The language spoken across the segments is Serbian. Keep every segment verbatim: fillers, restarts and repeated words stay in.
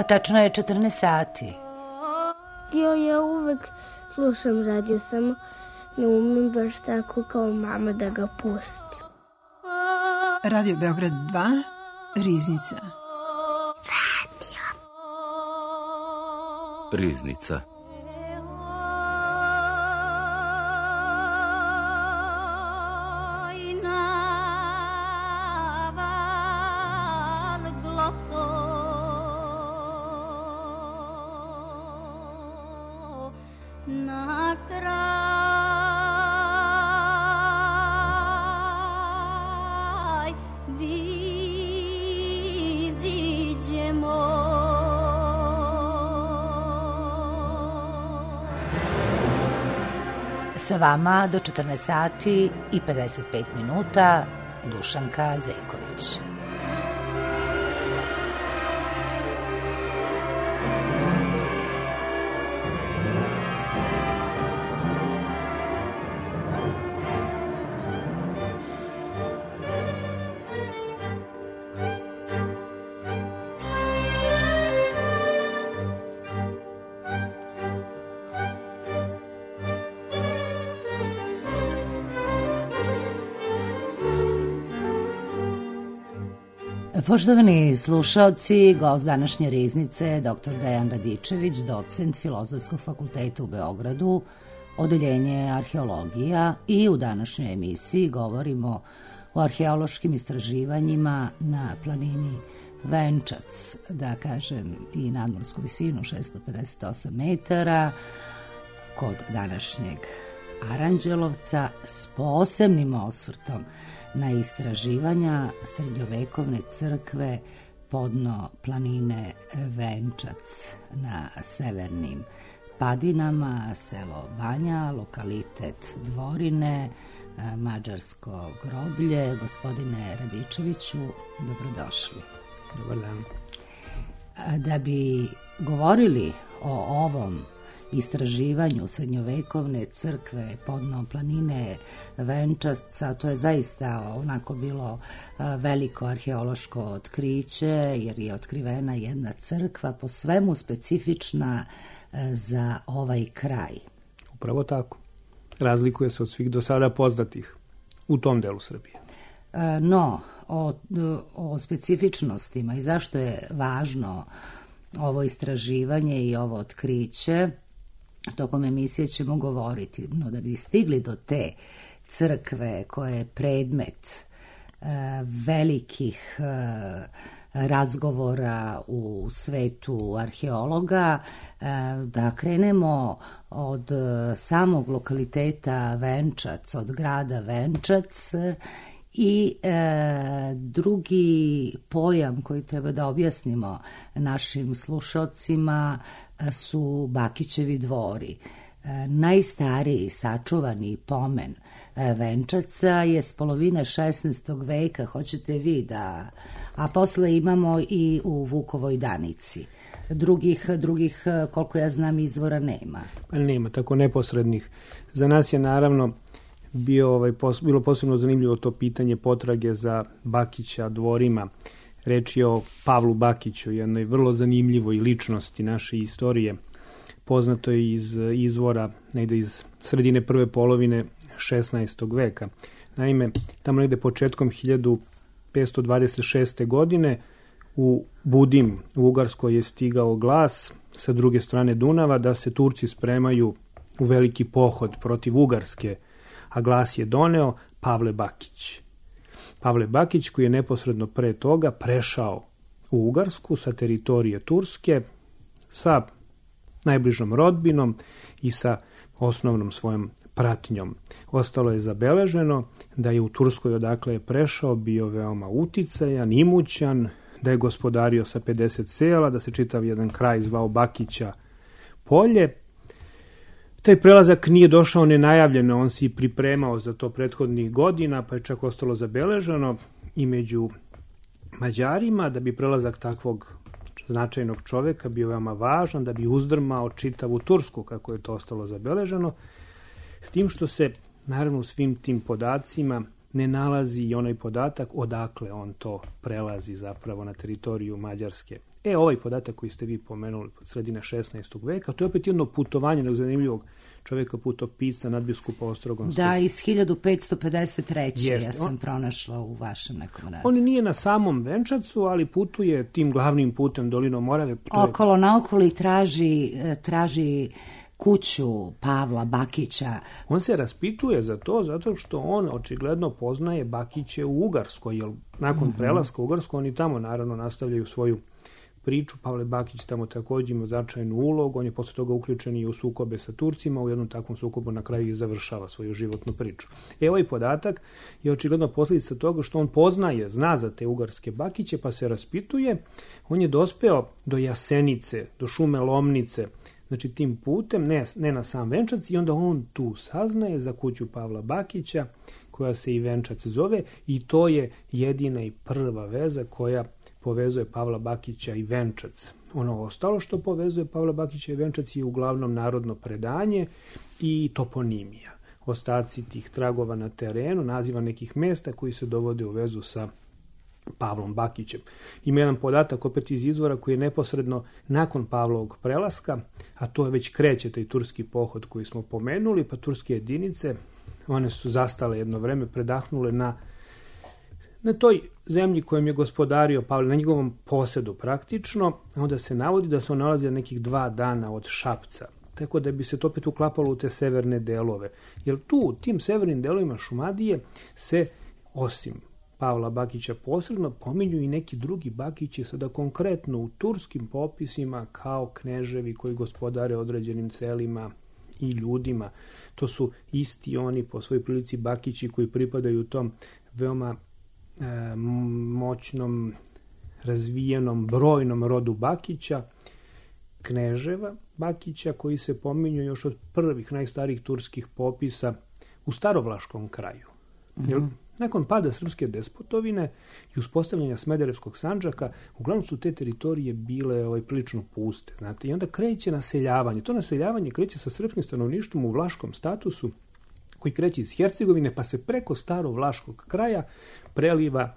Tačno je četrnaest sati. Jo, ja uvek slušam radio, samo ne umem baš tako kao mama da ga pustim. Radio Beograd dva, Riznica. Radio. Riznica. Sa vama do četrnaest sati i pedeset pet minuta Dušanka Zejković. Poštovani slušaoci, gost današnje Riznice je doktor Dejan Radičević, docent Filozofskog fakulteta u Beogradu, odeljenje arheologija, i u današnjoj emisiji govorimo o arheološkim istraživanjima na planini Venčac, da kažem i nadmorsku visinu šesto pedeset osam metara, kod današnjeg Aranđelovca, s posebnim osvrtom na istraživanja srednjovekovne crkve podno planine Venčac na severnim padinama, selo Banja, lokalitet Dvorine, mađarsko groblje. Gospodine Radičeviću, dobrodošli. Dobar dan. Da bi govorili o ovom istraživanju srednjovekovne crkve podno planine Venčaca, to je zaista onako bilo veliko arheološko otkriće, jer je otkrivena jedna crkva po svemu specifična za ovaj kraj. Upravo tako. Razlikuje se od svih do sada poznatih u tom delu Srbije. No, o, o specifičnostima i zašto je važno ovo istraživanje i ovo otkriće, tokom emisije ćemo govoriti, no da bi stigli do te crkve koja je predmet e, velikih e, razgovora u svetu arheologa, e, da krenemo od samog lokaliteta Venčac, od grada Venčac, i e, drugi pojam koji treba da objasnimo našim slušalcima su Bakićevi dvori. E, najstariji sačuvani pomen e, Venčaca je s polovine šesnaestog veka, hoćete vi da... A posle imamo i u Vukovoj Danici. Drugih, drugih, koliko ja znam, izvora nema. Pa nema, tako neposrednih. Za nas je naravno bio, ovaj, pos, bilo posebno zanimljivo to pitanje potrage za Bakića dvorima. Reč je o Pavlu Bakiću, jednoj vrlo zanimljivoj ličnosti naše istorije. Poznato je iz izvora negde iz sredine prve polovine šesnaestog veka. Naime, tamo negde početkom hiljadu petsto dvadeset šeste. godine u Budim u Ugarskoj je stigao glas sa druge strane Dunava da se Turci spremaju u veliki pohod protiv Ugarske, a glas je doneo Pavle Bakić. Pavle Bakić, koji je neposredno pre toga prešao u Ugarsku sa teritorije Turske, sa najbližom rodbinom i sa osnovnom svojom pratnjom. Ostalo je zabeleženo da je u Turskoj, odakle je prešao, bio veoma uticajan, imućan, da je gospodario sa pedeset sela, da se čitav jedan kraj zvao Bakića polje. Taj prelazak nije došao nenajavljeno, on se i pripremao za to prethodnih godina, pa je čak ostalo zabeleženo i među Mađarima, da bi prelazak takvog značajnog čoveka bio veoma važan, da bi uzdrmao čitavu Tursku, kako je to ostalo zabeleženo, s tim što se, naravno, u svim tim podacima ne nalazi i onaj podatak odakle on to prelazi zapravo na teritoriju Mađarske. E, ovaj podatak koji ste vi pomenuli od sredine šesnaestog veka, to je opet jedno putovanje jednog zanimljivog čovjeka putopisca nadbiskupa Ostrogonskog. Da, iz hiljadu petsto pedeset treće. Jeste. Ja sam On, pronašla u vašem nekom radu. On nije na samom Venčacu, ali putuje tim glavnim putem dolinom Morave. Okolo naokolo i traži, traži kuću Pavla Bakića. On se raspituje za to zato što on očigledno poznaje Bakiće u Ugarskoj, jer nakon mm-hmm. prelaska u Ugarsku oni tamo naravno nastavljaju svoju priču. Pavle Bakić tamo također ima značajnu ulogu, on je posle toga uključen i u sukobe sa Turcima, u jednom takvom sukobu na kraju i završava svoju životnu priču. E, ovaj podatak je očigledno posljedica toga što on poznaje, zna za te ugarske Bakiće, pa se raspituje. On je dospeo do Jasenice, do šume Lomnice, znači tim putem, ne, ne na sam Venčac, i onda on tu saznaje za kuću Pavla Bakića, koja se i Venčac zove, i to je jedina i prva veza koja povezuje Pavla Bakića i Venčac. Ono ostalo što povezuje Pavla Bakića i Venčac je uglavnom narodno predanje i toponimija. Ostaci tih tragova na terenu, naziva nekih mesta koji se dovode u vezu sa Pavlom Bakićem. Ima jedan podatak opet iz izvora koji je neposredno nakon Pavlovog prelaska, a to je već kreće taj turski pohod koji smo pomenuli, pa turske jedinice, one su zastale jedno vreme, predahnule na na toj zemlji kojom je gospodario Pavle, na njegovom posedu praktično, onda se navodi da se on nalazi nekih dva dana od Šapca, tako da bi se to opet uklapalo u te severne delove. Jer tu, u tim severnim delovima Šumadije se, osim Pavla Bakića posredno, pominju i neki drugi Bakići, sada konkretno u turskim popisima kao kneževi koji gospodare određenim celima i ljudima. To su isti oni po svojoj prilici Bakići koji pripadaju tom veoma e, moćnom, razvijenom, brojnom rodu Bakića, kneževa Bakića, koji se pominju još od prvih najstarijih turskih popisa u starovlaškom kraju. Mm-hmm. Jer nakon pada srpske despotovine i uspostavljanja Smederevskog Sandžaka, uglavnom su te teritorije bile ovaj, prilično puste. Znate, i onda kreće naseljavanje. To naseljavanje kreće sa srpskim stanovništvom u vlaškom statusu, koji kreće iz Hercegovine, pa se preko starovlaškog kraja preliva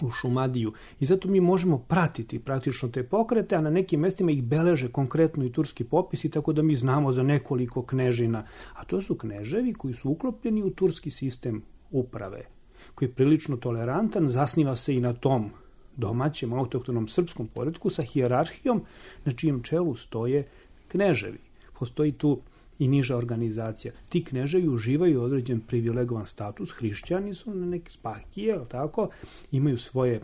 u Šumadiju. I zato mi možemo pratiti praktično te pokrete, a na nekim mestima ih beleže konkretno i turski popisi, tako da mi znamo za nekoliko knežina. A to su kneževi koji su uklopljeni u turski sistem uprave, koji je prilično tolerantan, zasniva se i na tom domaćem autohtonom srpskom poretku sa hijerarhijom na čijem čelu stoje kneževi. Postoji tu i niža organizacija. Ti kneževi uživaju određen privilegovan status, hrišćani su na neke spahije, tako, imaju svoje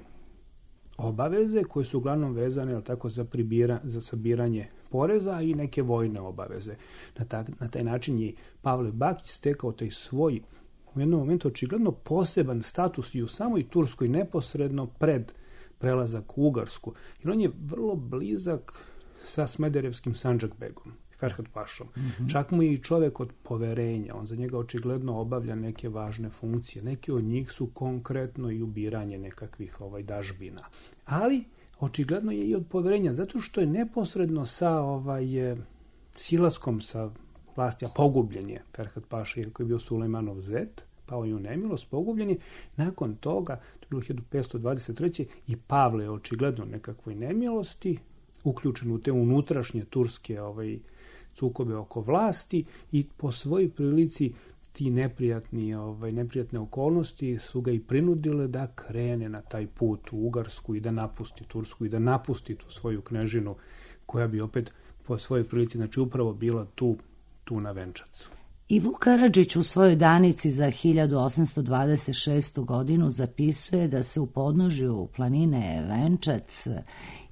obaveze koje su uglavnom vezane tako, za, pribira, za sabiranje poreza i neke vojne obaveze. Na, ta, na taj način je Pavle Bakić stekao taj svoj u jednom momentu očigledno poseban status i u samoj Turskoj neposredno pred prelazak u Ugarsku. Jer on je vrlo blizak sa Smederevskim Sandžakbegom, Ferhat Pašom. Mm-hmm. Čak mu je i čovjek od poverenja. On za njega očigledno obavlja neke važne funkcije. Neke od njih su konkretno i ubiranje nekakvih ovaj, dažbina. Ali očigledno je i od poverenja, zato što je neposredno sa ovaj, silaskom sa vlasti, a pogubljen je Ferhat Paša, jer koji je bio Sulejmanov zet, pao je u nemilost, pogubljen je. Nakon toga, to je bilo hiljadu petsto dvadeset treće i Pavle je očigledno nekakvoj nemilosti, uključen u te unutrašnje turske ovaj, sukobe oko vlasti i po svojoj prilici ti neprijatni, ovaj, neprijatne okolnosti su ga i prinudile da krene na taj put u Ugarsku i da napusti Tursku i da napusti tu svoju knežinu koja bi opet po svojoj prilici, znači upravo bila tu tu na Venčacu. I Vuk Karadžić u svojoj danici za hiljadu osamsto dvadeset šestu godinu zapisuje da se u podnožju planine Venčac,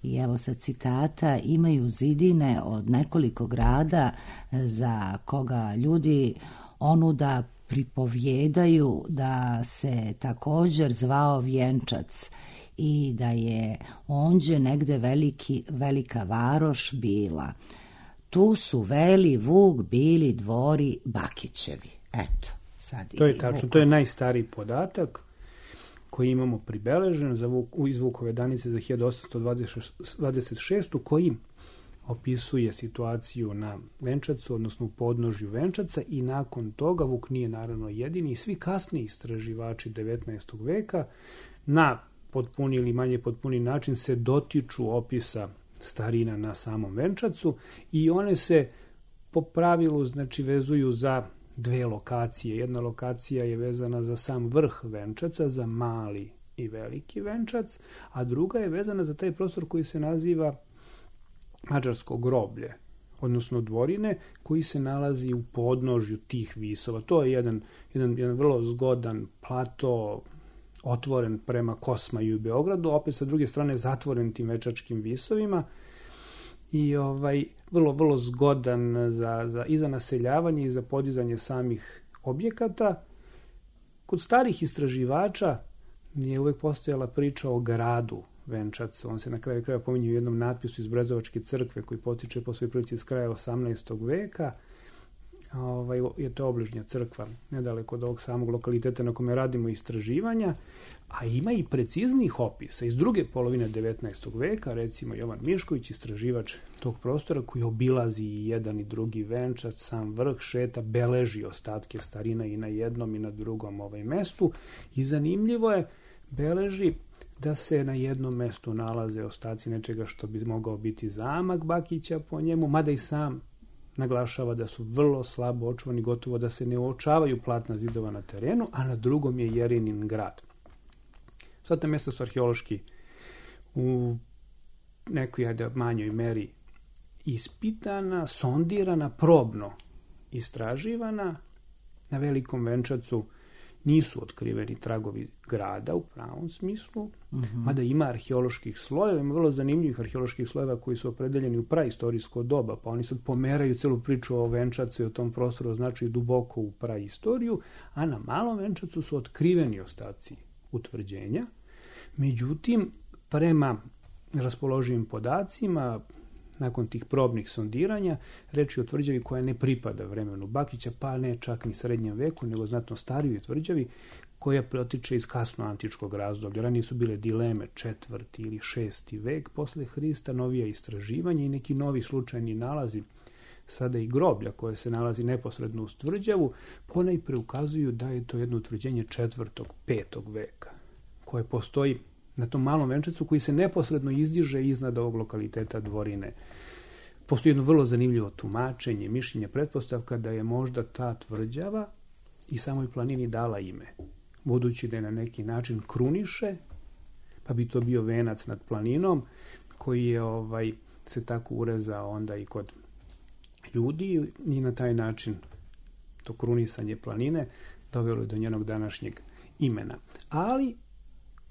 i evo sad citata, imaju zidine od nekoliko grada za koga ljudi onuda pripovjedaju da se također zvao Vjenčac i da je ondje negde veliki, velika varoš bila. Tu su Veli, Vuk, bili dvori Bakićevi. Eto, sad to je tačno, to je najstariji podatak koji imamo pribeležen za Vuk, iz Vukove danice za hiljadu osamsto dvadeset šestu koji opisuje situaciju na Venčacu, odnosno u podnožju Venčaca, i nakon toga Vuk nije naravno jedini, svi kasniji istraživači devetnaestog veka na potpuni ili manje potpuni način se dotiču opisa starina na samom venčacu i one se po pravilu znači vezuju za dve lokacije. Jedna lokacija je vezana za sam vrh venčaca, za mali i veliki venčac, a druga je vezana za taj prostor koji se naziva mađarsko groblje, odnosno dvorine, koji se nalazi u podnožju tih visova. To je jedan, jedan, jedan vrlo zgodan plato, otvoren prema Kosmaju i Beogradu, opet sa druge strane zatvoren tim večačkim visovima i ovaj vrlo, vrlo zgodan za, za, i za naseljavanje i za podizanje samih objekata. Kod starih istraživača je uvek postojala priča o gradu Venčac. On se na kraju kraja pominje u jednom natpisu iz Brezovačke crkve koji potiče po svojoj prilici iz kraja osamnaestog veka. Ovaj, je to obližnja crkva, nedaleko od ovog samog lokaliteta na kome radimo istraživanja, a ima i preciznih opisa iz druge polovine devetnaestog veka, recimo Jovan Mišković, istraživač tog prostora koji obilazi i jedan i drugi venčac, sam vrh, šeta, beleži ostatke starina i na jednom i na drugom ovaj mestu i zanimljivo je, beleži da se na jednom mestu nalaze ostaci nečega što bi mogao biti zamak Bakića po njemu, mada i sam naglašava da su vrlo slabo očuvani, gotovo da se ne uočavaju platna zidova na terenu, a na drugom je Jerinin grad. Sva ta mjesta su arheološki u nekoj ajde, manjoj meri ispitana, sondirana, probno istraživana. Na Velikom Venčacu nisu otkriveni tragovi grada u pravom smislu, uh-huh. mada ima arheoloških slojeva, ima vrlo zanimljivih arheoloških slojeva koji su opredeljeni u praistorijsko doba, pa oni sad pomeraju celu priču o Venčacu i o tom prostoru označuju duboko u praistoriju, a na Malom Venčacu su otkriveni ostaci utvrđenja. Međutim, prema raspoloživim podacima, nakon tih probnih sondiranja, reč je o tvrđavi koja ne pripada vremenu Bakića, pa ne čak ni srednjem veku, nego znatno starijoj tvrđavi koja protiče iz kasno antičkog razdoblja. Ranije su bile dileme četvrti ili šesti vek posle Hrista, novija istraživanja i neki novi slučajni nalazi, sada i groblja koje se nalazi neposredno uz tvrđavu, ponajpre ukazuju da je to jedno utvrđenje četvrtog, petog veka, koje postoji na tom Malom Venčacu koji se neposredno izdiže iznad ovog lokaliteta dvorine. Postoji jedno vrlo zanimljivo tumačenje, mišljenje, pretpostavka da je možda ta tvrđava i samoj planini dala ime, budući da je na neki način kruniše, pa bi to bio venac nad planinom koji je ovaj, se tako urezao onda i kod ljudi i na taj način to krunisanje planine dovelo je do njenog današnjeg imena. Ali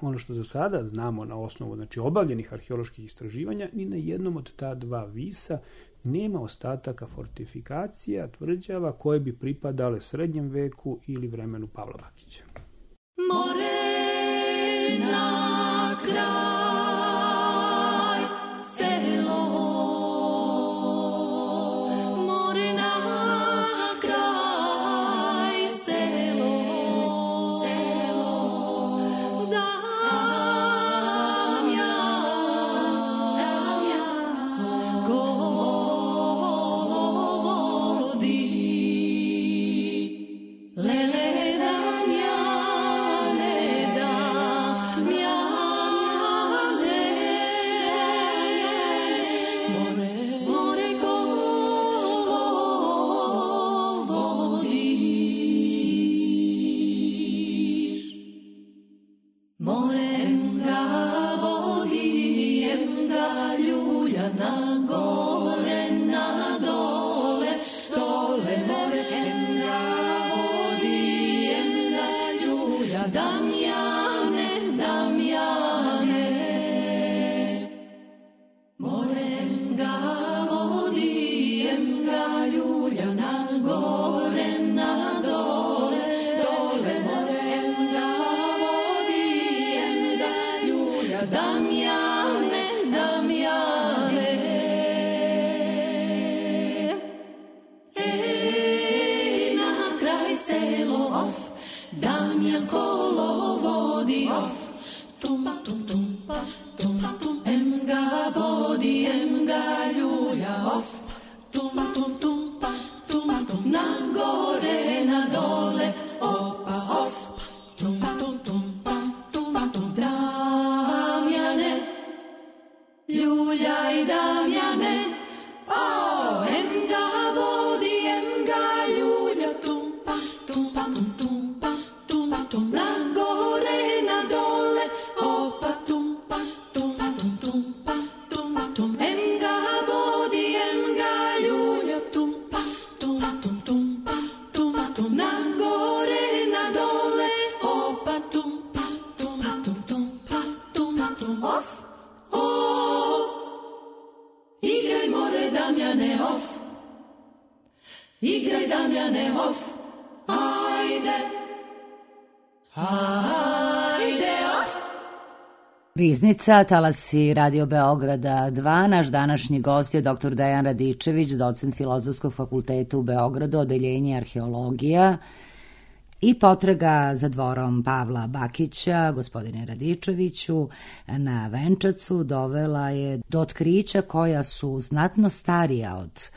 ono što za sada znamo na osnovu znači, obavljenih arheoloških istraživanja, ni na jednom od ta dva visa nema ostataka fortifikacija, tvrđava koje bi pripadale srednjem veku ili vremenu Pavla Bakića. More na kraj, selo, more na kraj, selo, selo, da Ljulja igraj Damjane, o, em ga vodi, em ga ljulja, tumpa, tumpa, tum, tumpa, tum, tum, na gore, na dole, opa, tumpa, tumpa, tum, tumpa, tum, tum, em ga vodi, em ga ljulja, tumpa, tum, tum, tumpa, tum, tum, na gore, na dole, opa, tumpa, tum, tum, tumpa, tum, tum, of, of, igraj more Damjane, of, igraj Damjane, of, ajde, ajde, of. Riznica, talasi Radio Beograda dva. Naš današnji gost je doktor Dejan Radičević, docent Filozofskog fakulteta u Beogradu, odeljenje arheologija i potraga za dvorom Pavla Bakića. Gospodine Radičeviću, na Venčacu dovela je do otkrića koja su znatno starija od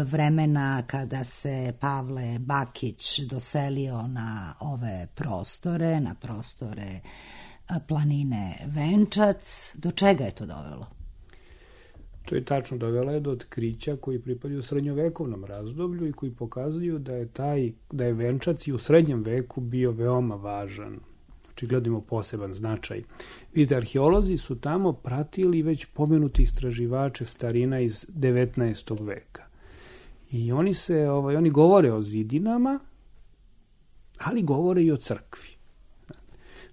vremena kada se Pavle Bakić doselio na ove prostore, na prostore planine Venčac. Do čega je to dovelo? To je tačno, dovela je do otkrića koji pripadaju srednjovekovnom razdoblju i koji pokazuju da je taj da je Venčac i u srednjem veku bio veoma važan. Znači gledamo poseban značaj. Vidite, arheolozi su tamo pratili već pomenuti istraživače starina iz devetnaestog veka. I oni se ovaj oni govore o zidinama, ali govore i o crkvi.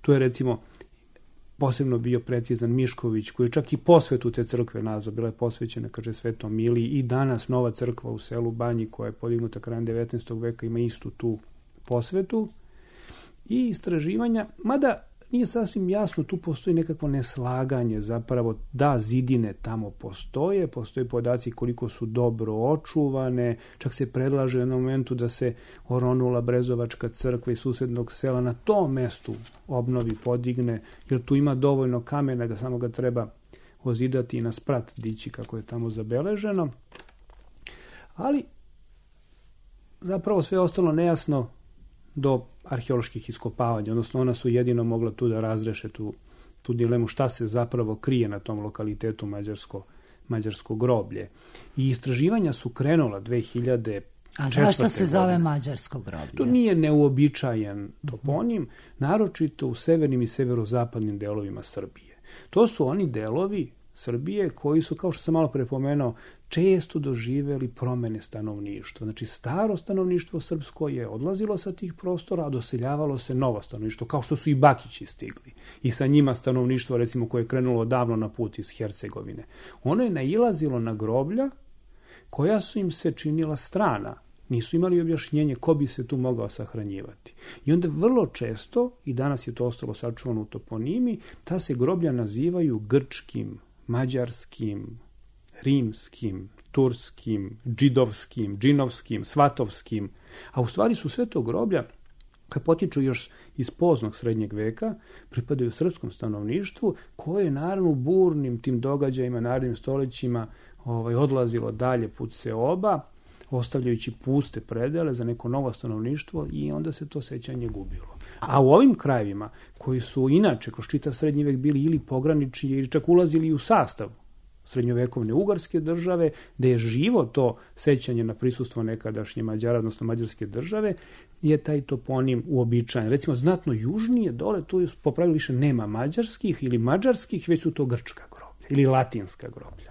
Tu je recimo posebno bio precizan Mišković, koji je čak i posvetu te crkve nazvao, bila je posvećena, kaže, Svetom Miliji, i danas nova crkva u selu Banji, koja je podignuta krajem devetnaestog veka, ima istu tu posvetu. I istraživanja, mada nije sasvim jasno, tu postoji nekakvo neslaganje, zapravo da zidine tamo postoje, postoje podaci koliko su dobro očuvane, čak se predlaže u jednom momentu da se oronula Brezovačka crkva iz susednog sela na tom mestu obnovi, podigne, jer tu ima dovoljno kamena da samo ga treba ozidati i na sprat dići kako je tamo zabeleženo. Ali zapravo sve ostalo nejasno do arheoloških iskopavanja, odnosno ona su jedino mogla tu da razreše tu, tu dilemu šta se zapravo krije na tom lokalitetu mađarsko, mađarsko groblje. I istraživanja su krenula dve hiljade četvrte. A zašto se zove mađarsko groblje? To nije neuobičajen toponim, naročito u severnim i severozapadnim delovima Srbije. To su oni delovi Srbije koji su, kao što sam malo prepomenuo, često doživeli promene stanovništva. Znači, staro stanovništvo srpsko je odlazilo sa tih prostora, a doseljavalo se novo stanovništvo, kao što su i Bakići stigli. I sa njima stanovništvo, recimo, koje je krenulo davno na put iz Hercegovine. Ono je nailazilo na groblja koja su im se činila strana. Nisu imali objašnjenje ko bi se tu mogao sahranjivati. I onda vrlo često, i danas je to ostalo sačuvano u toponimi, ta se groblja nazivaju grčkim, mađarskim, rimskim, turskim, džidovskim, džinovskim, svatovskim, a u stvari su sve to groblja koje potiču još iz poznog srednjeg veka, pripadaju srpskom stanovništvu, koje je naravno u burnim tim događajima, narednim stoljećima ovaj, odlazilo dalje put seoba, ostavljajući puste predele za neko novo stanovništvo, i onda se to sećanje gubilo. A u ovim krajevima, koji su inače kroz čitav srednji vek bili ili pogranični ili čak ulazili u sastav srednjovekovne ugarske države, gde je živo to sećanje na prisustvo nekadašnje Mađara, odnosno mađarske države, je taj toponim uobičajen. Recimo, znatno južnije dole, tu po pravilu više nema mađarskih ili mađarskih, već su to grčka groblja ili latinska groblja.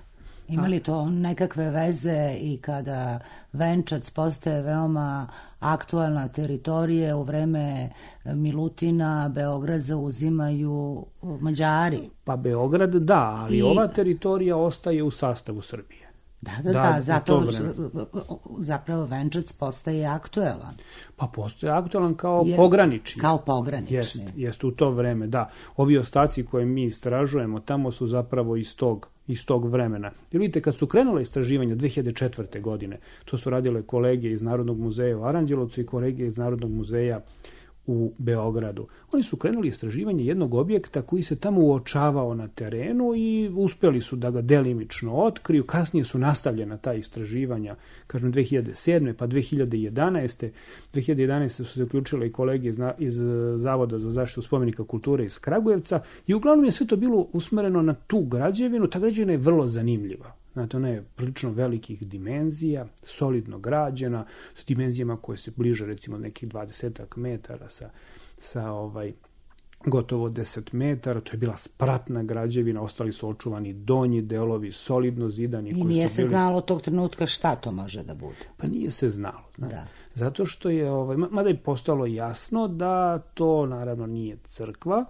Ima li to nekakve veze i kada Venčac postaje veoma aktualna teritorija, u vreme Milutina Beograd zauzimaju Mađari? Pa Beograd da, ali I... ova teritorija ostaje u sastavu Srbije. Da, da, da, da zato zapravo Venčac postaje aktuelan. Pa postaje aktuelan kao Jer, pogranični. Kao pogranični. Jest, jest u to vreme, da. Ovi ostaci koje mi istražujemo tamo su zapravo iz tog iz tog vremena. Jer vidite, kad su krenule istraživanja dve hiljade četvrte. godine, to su radile kolege iz Narodnog muzeja u Aranđelovcu i kolege iz Narodnog muzeja u Beogradu. Oni su krenuli istraživanje jednog objekta koji se tamo uočavao na terenu i uspeli su da ga delimično otkriju. Kasnije su nastavljena ta istraživanja, kažem dve hiljade sedme. pa dve hiljade jedanaeste. dve hiljade jedanaeste su se uključile i kolege iz, iz Zavoda za zaštitu spomenika kulture iz Kragujevca i uglavnom je sve to bilo usmereno na tu građevinu. Ta građevina je vrlo zanimljiva. Znate, ona je prilično velikih dimenzija, solidno građena, s dimenzijama koje se bliže recimo nekih dvadesetak metara sa, sa ovaj, gotovo deset metara. To je bila spratna građevina, ostali su očuvani donji delovi, solidno zidani. I koji nije su se bili... znalo tog trenutka šta to može da bude. Pa nije se znalo. Znate. Da. Zato što je, ovaj, mada je postalo jasno da to naravno nije crkva,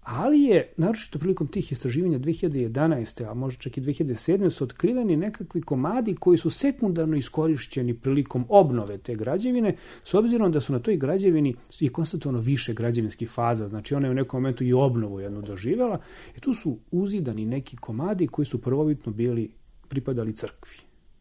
ali je, naročito prilikom tih istraživanja dve hiljade jedanaeste. a možda čak i dve hiljade sedme. su otkriveni nekakvi komadi koji su sekundarno iskorišćeni prilikom obnove te građevine, s obzirom da su na toj građevini i konstatovano više građevinskih faza, znači ona je u nekom momentu i obnovu jednu doživjela, i tu su uzidani neki komadi koji su prvobitno bili pripadali crkvi.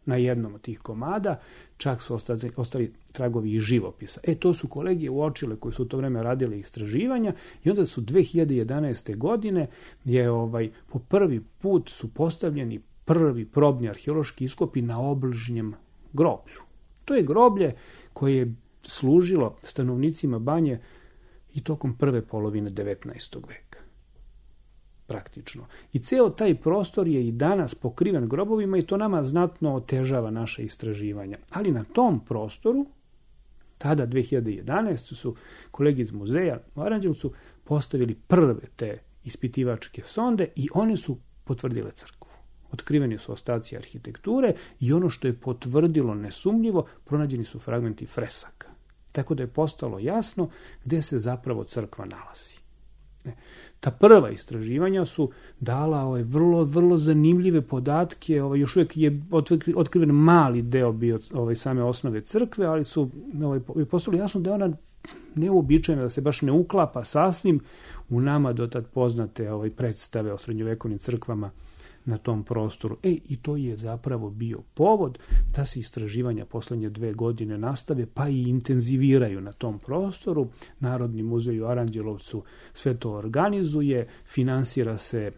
Na jednom od tih komada čak su ostali, ostali tragovi i živopisa. E, to su kolege uočile koji su u to vreme radili istraživanja i onda su dve hiljade jedanaeste. godine je ovaj, po prvi put su postavljeni prvi probni arheološki iskopi na obližnjem groblju. To je groblje koje je služilo stanovnicima Banje i tokom prve polovine devetnaestog. veka. Praktično. I ceo taj prostor je i danas pokriven grobovima i to nama znatno otežava naše istraživanja. Ali na tom prostoru, tada dve hiljade jedanaeste. su kolegi iz muzeja u Aranđelovcu postavili prve te ispitivačke sonde i one su potvrdile crkvu. Otkriveni su ostaci arhitekture i ono što je potvrdilo nesumnjivo, pronađeni su fragmenti fresaka. Tako da je postalo jasno gde se zapravo crkva nalazi. Ta prva istraživanja su dala ovaj, vrlo, vrlo zanimljive podatke. Ovaj, još uvijek je otkriven mali deo bio ovaj, same osnove crkve, ali su ovaj, postalo jasno da je ona neuobičajena, da se baš ne uklapa sasvim u nama do tad poznate ovaj, predstave o srednjovekovnim crkvama na tom prostoru. E, i to je zapravo bio povod da se istraživanja poslednje dve godine nastave, pa i intenziviraju na tom prostoru. Narodni muzej u Aranđelovcu sve to organizuje, finansira se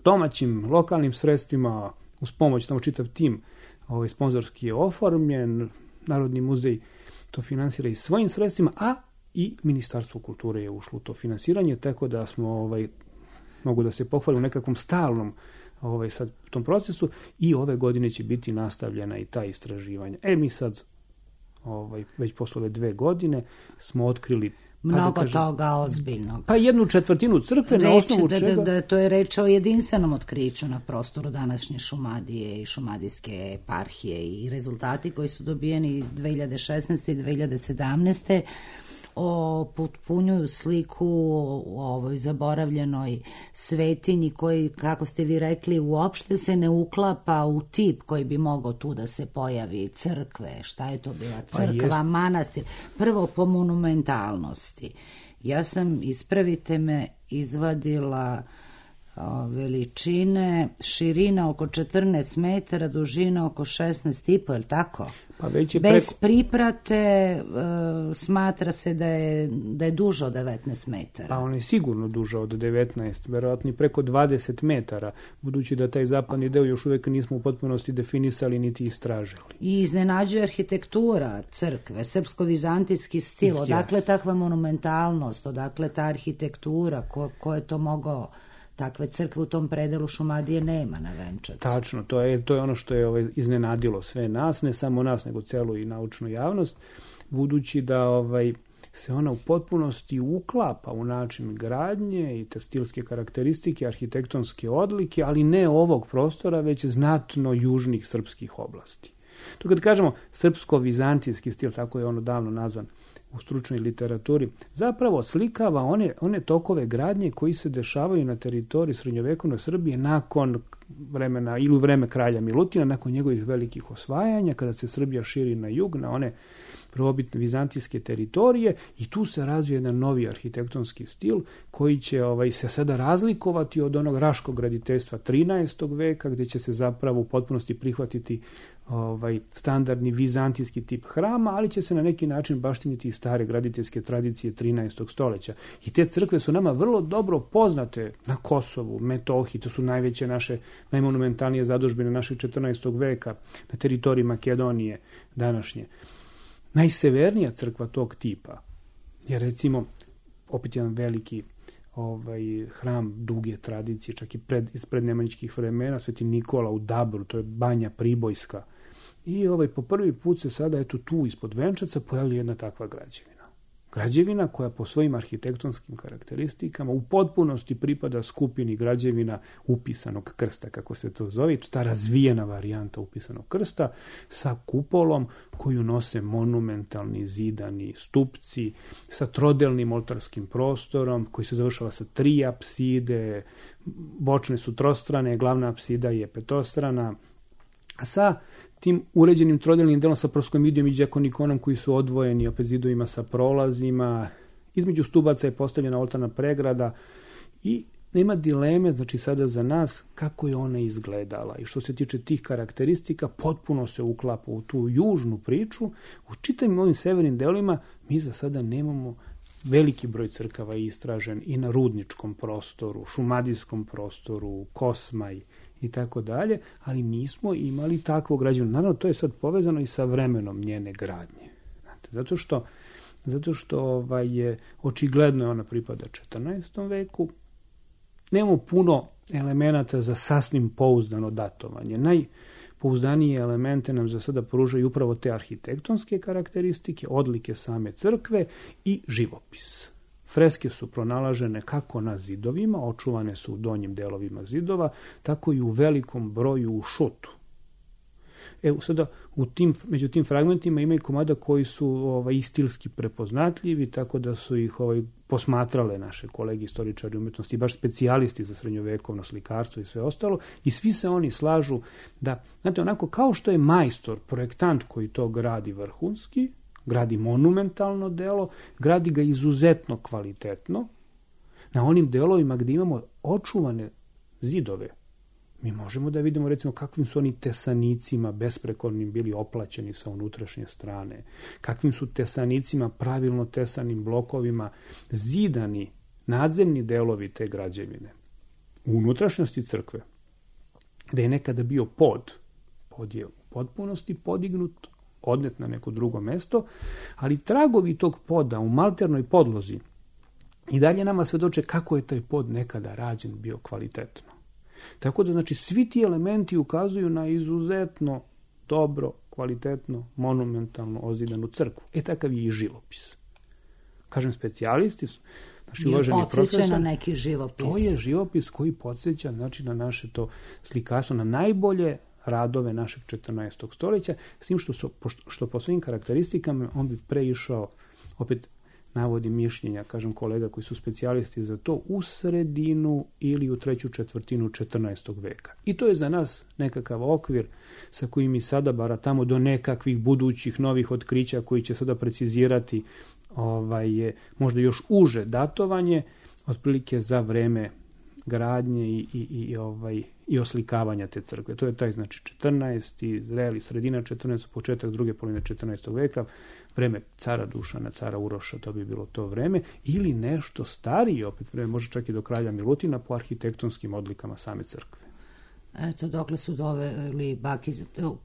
domaćim, lokalnim sredstvima, uz pomoć, tamo čitav tim ovaj, sponzorski je oformljen, Narodni muzej to finansira i svojim sredstvima, a i Ministarstvo kulture je ušlo u to finansiranje, tako da smo ovaj, mogu da se pohvalim u nekakvom stalnom ovaj, sad, tom procesu i ove godine će biti nastavljena i ta istraživanja. E, mi sad, ovaj, već posle ove dve godine, smo otkrili mnogo da kažem, toga ozbiljnog. Pa jednu četvrtinu crkve Reč, na osnovu da, čega... Da, da, to je reč o jedinstvenom otkriću na prostoru današnje Šumadije i šumadijske eparhije i rezultati koji su dobijeni dve hiljade šesnaeste. i dve hiljade sedamnaeste. Potpunjuju sliku u ovoj zaboravljenoj svetinji koji, kako ste vi rekli, uopšte se ne uklapa u tip koji bi mogao tu da se pojavi, crkve, šta je to bila crkva, pa manastir, prvo po monumentalnosti. Ja sam, ispravite me, izvadila o, veličine, širina oko četrnaest metara, dužina oko šesnaest i po, je li tako? Pa već je bez preko... priprate e, smatra se da je, da je duže od devetnaest metara. Pa on je sigurno duže od devetnaest, verovatno i preko dvadeset metara, budući da taj zapadni deo još uvek nismo u potpunosti definisali niti istražili. I iznenađuje arhitektura crkve, srpsko-vizantijski stil, odakle takva monumentalnost, odakle ta arhitektura, ko, ko je to mogao... Takve crkve u tom predelu Šumadije nema na Venčacu. Tačno, to je, to je ono što je ovaj, iznenadilo sve nas, ne samo nas, nego celu i naučnu javnost, budući da ovaj, se ona u potpunosti uklapa u način gradnje i te stilske karakteristike, arhitektonske odlike, ali ne ovog prostora, već znatno južnih srpskih oblasti. To kad kažemo srpsko-vizantijski stil, tako je ono davno nazvan u stručnoj literaturi, zapravo odslikava one, one tokove gradnje koji se dešavaju na teritoriji srednjovekovne Srbije nakon vremena ili u vreme kralja Milutina, nakon njegovih velikih osvajanja, kada se Srbija širi na jug, na one prvobitne vizantijske teritorije, i tu se razvije jedan novi arhitektonski stil koji će ovaj, se sada razlikovati od onog raškog graditeljstva trinaestog. veka, gde će se zapravo u potpunosti prihvatiti ovaj, standardni vizantijski tip hrama, ali će se na neki način baštiniti i stare graditeljske tradicije trinaestog. stoljeća. I te crkve su nama vrlo dobro poznate na Kosovu, Metohiji, to su najveće naše, najmonumentalnije zadužbine našeg četrnaestog. veka, na teritoriji Makedonije današnje. Najsevernija crkva tog tipa je, recimo, opet jedan veliki ovaj, hram duge tradicije, čak i pred, iz prednemanjičkih vremena, Sveti Nikola u Dabru, to je banja Pribojska. I ovaj, po prvi put se sada, eto tu ispod Venčaca, pojavlja jedna takva građevina. Građevina koja po svojim arhitektonskim karakteristikama u potpunosti pripada skupini građevina upisanog krsta, kako se to zove, to ta razvijena varijanta upisanog krsta sa kupolom koju nose monumentalni zidani stupci, sa trodelnim oltarskim prostorom koji se završava sa tri apside, bočne su trostrane, glavna apsida je petostrana, sa tim uređenim trodelnim delom sa proskomidijom i đakonikonom koji su odvojeni opet zidovima sa prolazima. Između stubaca je postavljena oltarna pregrada i nema dileme, znači sada za nas, kako je ona izgledala. I što se tiče tih karakteristika, potpuno se uklapa u tu južnu priču. U čitavim ovim severnim delima mi za sada nemamo veliki broj crkava istražen i na rudničkom prostoru, šumadijskom prostoru, Kosmaj i tako dalje, ali nismo imali takvo građevinu. Naravno, to je sad povezano i sa vremenom njene gradnje. Znate, zato što, zato što ovaj, je, očigledno je ona pripada četrnaestom veku. Nemamo puno elemenata za sasvim pouzdano datovanje. Najpouzdanije elemente nam za sada pružaju upravo te arhitektonske karakteristike, odlike same crkve i živopis. Freske su pronalažene kako na zidovima, očuvane su u donjim delovima zidova, tako i u velikom broju u šutu. Evo sada, u tim, među tim fragmentima ima i komada koji su ovaj, stilski prepoznatljivi, tako da su ih ovaj, posmatrale naše kolege istoričari umetnosti, baš specijalisti za srednjovekovno slikarstvo i sve ostalo, i svi se oni slažu da, znate, onako kao što je majstor, projektant koji to gradi vrhunski, gradi monumentalno delo, gradi ga izuzetno kvalitetno, na onim delovima gdje imamo očuvane zidove, mi možemo da vidimo recimo kakvim su oni tesanicima besprekornim bili oplaćeni sa unutrašnje strane, kakvim su tesanicima pravilno tesanim blokovima zidani nadzemni delovi te građevine. U unutrašnjosti crkve, gde je nekada bio pod, pod je u potpunosti podignut, odnet na neko drugo mesto, ali tragovi tog poda u malternoj podlozi i dalje nama svedoče kako je taj pod nekada rađen bio kvalitetno. Tako da, znači, svi ti elementi ukazuju na izuzetno dobro, kvalitetno, monumentalno ozidanu crkvu. E, takav je i živopis. Kažem, specijalisti su, naši uvaženi profesor, na neki živopis. To je živopis koji podsjeća, znači, na naše to slikarstvo, na najbolje radove našeg četrnaestog stoljeća, s tim što, su, što po svojim karakteristikama on bi preišao, opet navodi mišljenja, kažem, kolega koji su specijalisti za to, u sredinu ili u treću četvrtinu četrnaestog veka. I to je za nas nekakav okvir sa kojim mi sada baratamo do nekakvih budućih novih otkrića koji će sada precizirati ovaj, možda još uže datovanje, otprilike za vreme gradnje i, i, i, ovaj, i oslikavanja te crkve. To je taj, znači, četrnaesti, reli, sredina četrnaestog, početak druge polovine četrnaestog veka, vreme cara Dušana, cara Uroša, to bi bilo to vreme, ili nešto starije, opet vreme, može čak i do kralja Milutina, po arhitektonskim odlikama same crkve. Eto, dokle su doveli Baki,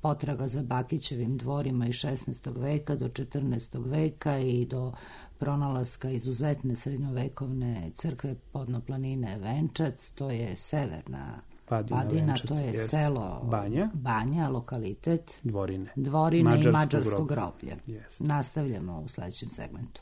potraga za Bakićevim dvorima iz šesnaestog veka do četrnaestog veka i do pronalaska izuzetne srednjovekovne crkve Podnoplanine Venčac, to je severna Padina, Padina Venčac, to je jest, selo Banja, Banja, lokalitet Dvorine, Dvorine Mađarsko i Mađarsko groblje. groblje. Yes. Nastavljamo u sledećem segmentu.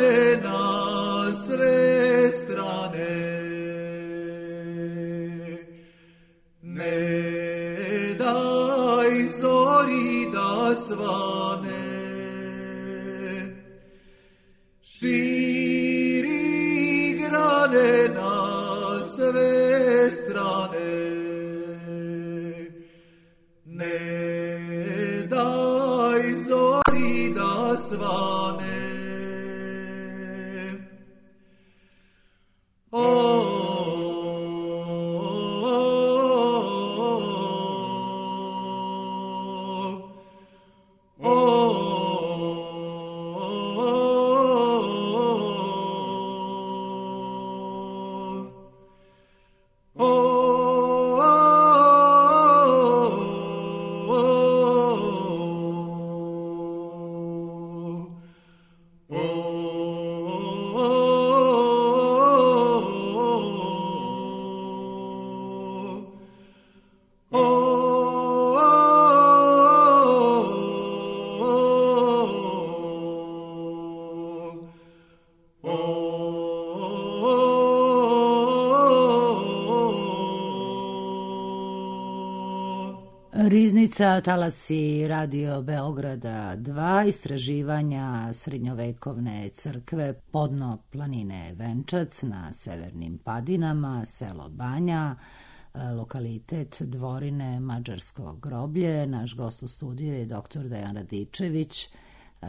grane na sve strane. Ne daj zori da svane, širi grane na sve strane. Ne daj zori da svane. O, Riznica, talasi Radio Beograda dva, istraživanja srednjovekovne crkve, podno planine Venčac na severnim padinama, selo Banja, lokalitet Dvorine, Mađarsko groblje. Naš gost u studiju je doktor Dejan Radičević,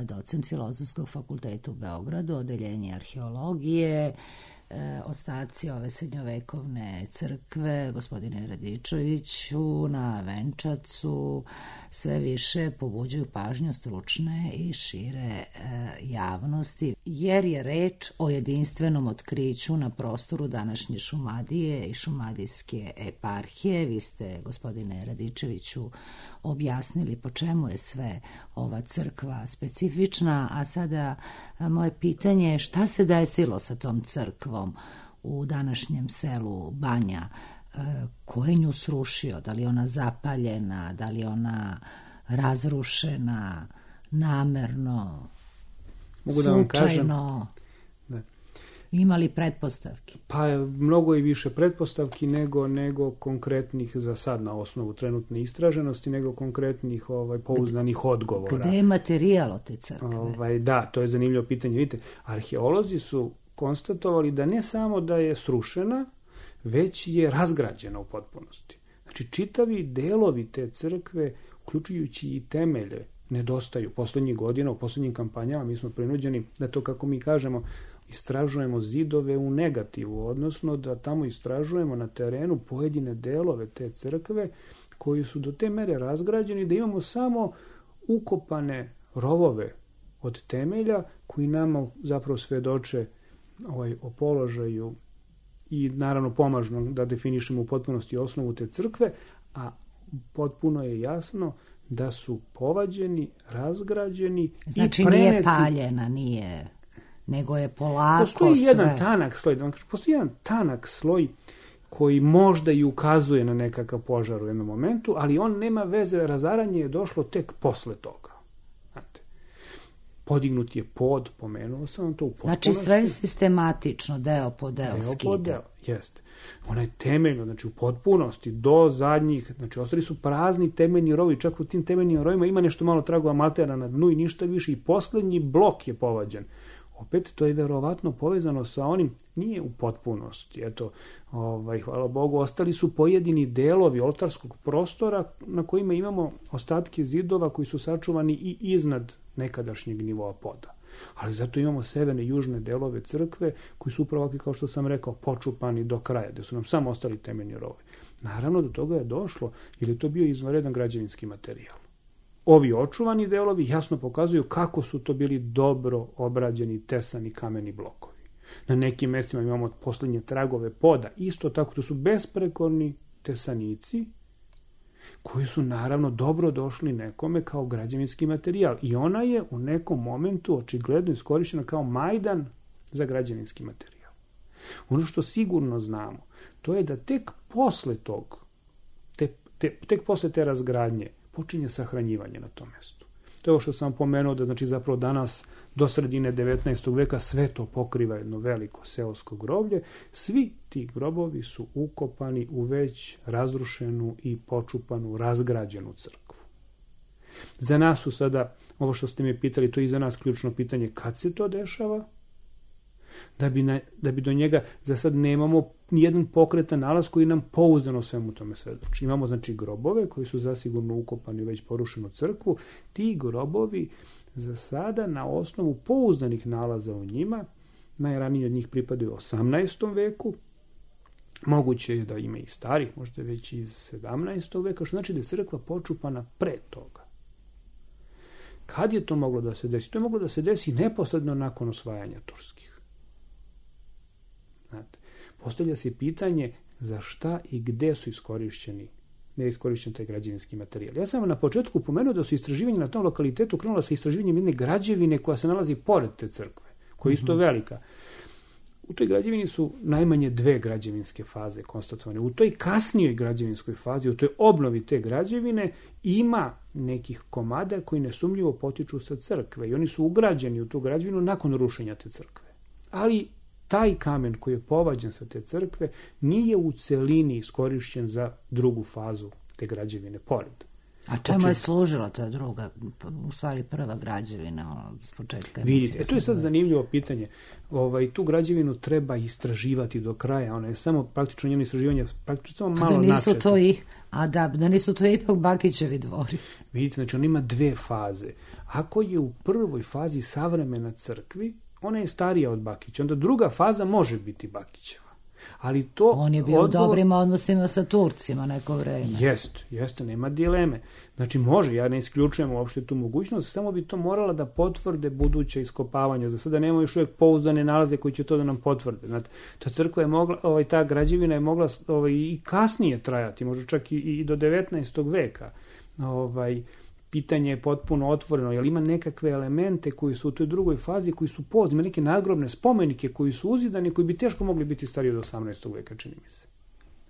docent Filozofskog fakulteta u Beogradu, odeljenje arheologije. E, ostaci ove srednjovekovne crkve, gospodine Radičeviću, na Venčacu sve više pobuđuju pažnju stručne i šire e, javnosti, jer je reč o jedinstvenom otkriću na prostoru današnje Šumadije i šumadijske eparhije. Vi ste, gospodine Radičeviću, objasnili po čemu je sve ova crkva specifična, a sada a, moje pitanje je šta se desilo sa tom crkvom u današnjem selu Banja? E, ko je nju srušio? Da li je ona zapaljena? Da li je ona razrušena namerno, Mogu da vam kažem, slučajno? da. Ima li pretpostavki? Pa mnogo i više pretpostavki nego nego konkretnih za sad na osnovu trenutne istraženosti, nego konkretnih ovaj pouzdanih odgovora. Gde je materijal od te crkve? Ovaj, da, to je zanimljivo pitanje. Vidite, arheolozi su konstatovali da ne samo da je srušena, već je razgrađena u potpunosti. Znači, čitavi delovi te crkve, uključujući i temelje, nedostaju. Poslednjih godina, u poslednjim kampanjama, mi smo prinuđeni da to, kako mi kažemo, istražujemo zidove u negativu, odnosno da tamo istražujemo na terenu pojedine delove te crkve koji su do te mere razgrađeni da imamo samo ukopane rovove od temelja koji nama zapravo svedoče ovaj, o položaju i naravno pomažu nam da definišemo u potpunosti osnovu te crkve, a potpuno je jasno da su povađeni, razgrađeni znači, i preneti. Znači nije paljena, nije, nego je polako postoji sve. jedan tanak sloj, da vam kažem, postoji jedan tanak sloj koji možda i ukazuje na nekakav požar u jednom momentu, ali on nema veze, razaranje je došlo tek posle toga. Znate, podignut je pod, pomenuo sam to u potpunosti. Znači sve je sistematično, deo po deo, deo skida. Po deo, jeste. Ona je temeljno, znači u potpunosti, do zadnjih, znači ostali su prazni temeljni rovi, čak u tim temeljnim rovima ima nešto malo tragova matera na dnu i ništa više, i poslednji blok je povađen. Opet, to je verovatno povezano sa onim, nije u potpunosti, eto, ovaj, hvala Bogu, ostali su pojedini delovi oltarskog prostora na kojima imamo ostatke zidova koji su sačuvani i iznad nekadašnjeg nivoa poda. Ali zato imamo severne i južne delove crkve koji su upravo, kao što sam rekao, počupani do kraja, gde su nam samo ostali temeljni rovi. Naravno, do toga je došlo, jer je to bio izvanredan građevinski materijal. Ovi očuvani delovi jasno pokazuju kako su to bili dobro obrađeni tesani kameni blokovi. Na nekim mestima imamo poslednje tragove poda, isto tako to su besprekorni tesanici koji su naravno dobro došli nekome kao građevinski materijal i ona je u nekom momentu očigledno iskorišćena kao majdan za građevinski materijal. Ono što sigurno znamo, to je da tek posle tog, te, te, tek posle te razgradnje počinje sahranjivanje na tom mestu. To je ovo što sam pomenuo, da znači zapravo danas do sredine devetnaestog veka sve to pokriva jedno veliko seosko groblje. Svi ti grobovi su ukopani u već razrušenu i počupanu, razgrađenu crkvu. Za nas su sada, ovo što ste mi pitali, to je i za nas ključno pitanje, kad se to dešava? Da bi, na, da bi do njega, za sad nemamo nijedan pokretan nalaz koji nam pouzdano svemu tome svedoči. Imamo znači grobove koji su zasigurno ukopani u već porušenu crkvu. Ti grobovi za sada na osnovu pouzdanih nalaza u njima, najranije od njih pripadaju osamnaestom veku, moguće je da ima i starih, možda već iz sedamnaestog veka, što znači da je crkva počupana pre toga. Kad je to moglo da se desi? To je moglo da se desi neposredno nakon osvajanja turskih. Znate, postavlja se pitanje za šta i gde su iskorišćeni, ne iskorišćen taj građevinski materijal. Ja sam na početku pomenuo da su istraživanja na tom lokalitetu krenula sa istraživanjem jedne građevine koja se nalazi pored te crkve, koja je isto velika. U toj građevini su najmanje dve građevinske faze konstatovane. U toj kasnijoj građevinskoj fazi, u toj obnovi te građevine, ima nekih komada koji nesumljivo potiču sa crkve i oni su ugrađeni u tu građevinu nakon rušenja te crkve. Ali taj kamen koji je povađen sa te crkve nije u celini iskorišćen za drugu fazu te građevine pored. A čemu je služila ta druga, u stvari prva građevina, ono, s početka? Vidite, e, to je sad zanimljivo pitanje. Ovaj, tu građevinu treba istraživati do kraja. Ona je samo praktično njeno istraživanje, praktično samo malo da nisu načeto. To i, a da, da nisu to ipak Bakićevi dvori. Vidite, znači on ima dve faze. Ako je u prvoj fazi savremena crkvi, ona je starija od Bakića. Onda druga faza može biti Bakićeva. Ali to on je bio odgovor... u dobrim odnosima sa Turcima neko vreme. Jeste, jeste, nema dileme. Znači može, ja ne isključujem uopšte tu mogućnost, samo bi to morala da potvrde buduće iskopavanja. Za sada nemamo još uvijek pouzdane nalaze koji će to da nam potvrde. Znate, ta crkva je mogla, ovaj, ta građevina je mogla ovaj, i kasnije trajati, možda čak i, i do devetnaestog veka. Ovaj, pitanje je potpuno otvoreno, jer ima nekakve elemente koji su u toj drugoj fazi, koji su pozni, ima neke nadgrobne spomenike koji su uzidani, koji bi teško mogli biti stariji od osamnaestog veka, čini mi se.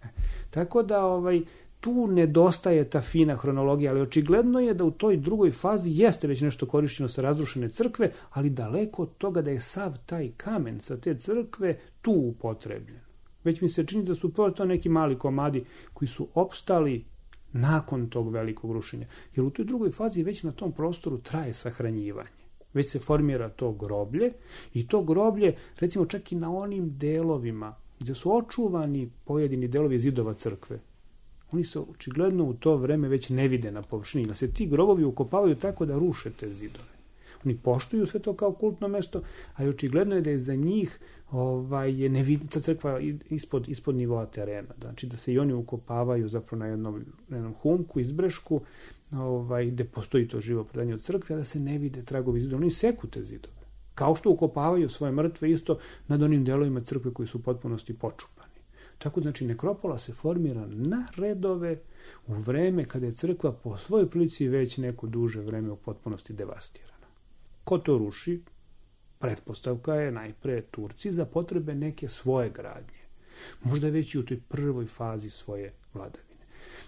E, tako da ovaj, tu nedostaje ta fina hronologija, ali očigledno je da u toj drugoj fazi jeste već nešto korišćeno sa razrušene crkve, ali daleko od toga da je sav taj kamen sa te crkve tu upotrebljen. Već mi se čini da su to neki mali komadi koji su opstali nakon tog velikog rušenja. Jer u toj drugoj fazi već na tom prostoru traje sahranjivanje. Već se formira to groblje i to groblje, recimo čak i na onim delovima gdje su očuvani pojedini delovi zidova crkve, oni se očigledno u to vreme već ne vide na površini. Da se ti grobovi ukopavaju tako da ruše te zidove. Oni poštuju sve to kao kultno mesto, a očigledno je da je za njih ovaj, ne vidi ta crkva ispod, ispod nivoa terena. Znači da se i oni ukopavaju zapravo na jednom, na jednom humku, izbrešku, ovaj, gde postoji to živo predanje od crkve, a da se ne vide tragovi zidova. Oni seku te zidove. Kao što ukopavaju svoje mrtve isto nad onim delovima crkve koji su u potpunosti počupani. Tako znači nekropola se formira na redove u vreme kada je crkva po svojoj prilici već neko duže vreme u potpunosti devastirana. Ko to ruši? Pretpostavka je najpre Turci za potrebe neke svoje gradnje. Možda već i u toj prvoj fazi svoje vladavine,